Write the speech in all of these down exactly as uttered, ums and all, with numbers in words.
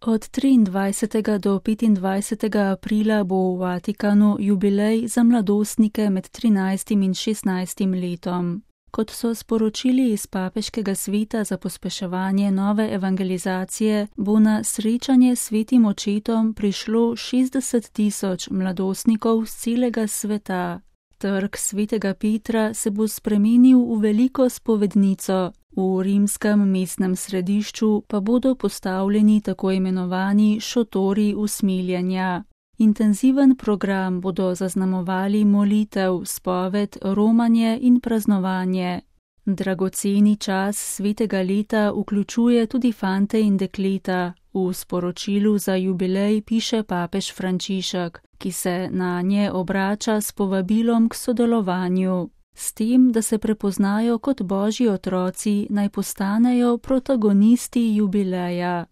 Od triindvajsetega do petindvajsetega aprila bo v Vatikanu jubilej za mladostnike med trinajstim in šestnajstim letom. Kot so sporočili iz Papeškega sveta za pospeševanje nove evangelizacije, bo na srečanje s Svetim očetom prišlo šestdeset tisoč mladostnikov z celega sveta. Trg Svetega Petra se bo spremenil v veliko spovednico, v rimskem mestnem središču pa bodo postavljeni tako imenovani šotori usmiljenja. Intenziven program bodo zaznamovali molitev, spoved, romanje in praznovanje. Dragoceni čas svetega leta vključuje tudi fante in dekleta, v sporočilu za jubilej piše papež Frančišek, ki se na nje obrača s povabilom k sodelovanju. S tem, da se prepoznajo kot božji otroci, naj postanejo protagonisti jubileja.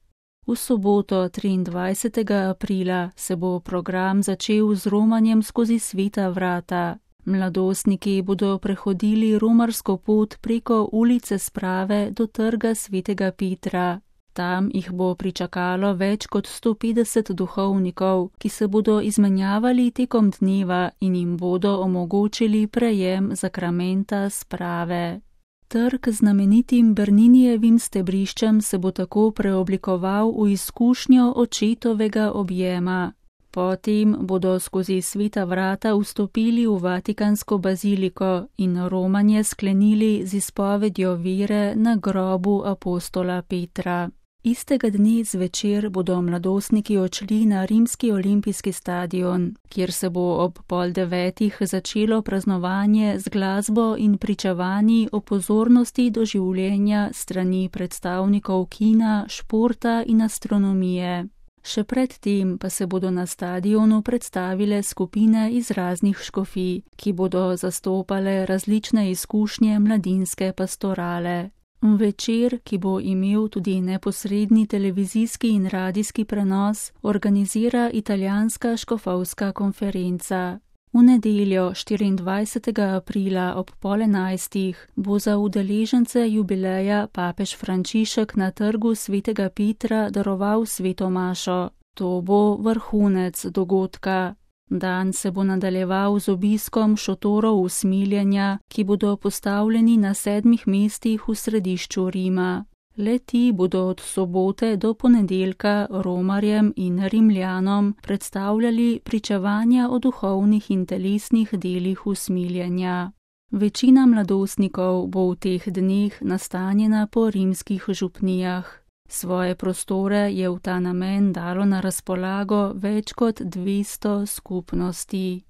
V soboto triindvajsetega aprila se bo program začel z romanjem skozi sveta vrata. Mladostniki bodo prehodili romarsko pot preko ulice Sprave do trga Svetega Petra. Tam jih bo pričakalo več kot sto petdeset duhovnikov, ki se bodo izmenjavali tekom dneva in jim bodo omogočili prejem zakramenta sprave. Trg z znamenitim Berninijevim stebriščem se bo tako preoblikoval v izkušnjo očetovega objema. Potem bodo skozi sveta vrata vstopili v Vatikansko baziliko in romanje sklenili z izpovedjo vere na grobu apostola Petra. Istega dne zvečer bodo mladostniki odšli na rimski olimpijski stadion, kjer se bo ob pol devetih začelo praznovanje z glasbo in pričevanji o pozornosti do življenja strani predstavnikov kina, športa in astronomije. Še pred tem pa se bodo na stadionu predstavile skupine iz raznih škofij, ki bodo zastopale različne izkušnje mladinske pastorale. Večer, ki bo imel tudi neposredni televizijski in radijski prenos, organizira italijanska škofovska konferenca. V nedeljo štiriindvajsetega aprila ob pol enajstih bo za udeležence jubileja papež Frančišek na trgu Svetega Petra daroval sveto mašo. To bo vrhunec dogodka. Dan se bo nadaljeval z obiskom šotorov usmiljenja, ki bodo postavljeni na sedmih mestih v središču Rima. Le-ti bodo od sobote do ponedeljka romarjem in rimljanom predstavljali pričevanja o duhovnih in telesnih delih usmiljenja. Večina mladostnikov bo v teh dneh nastanjena po rimskih župnijah. Svoje prostore je v ta namen dalo na razpolago več kot dvesto skupnosti.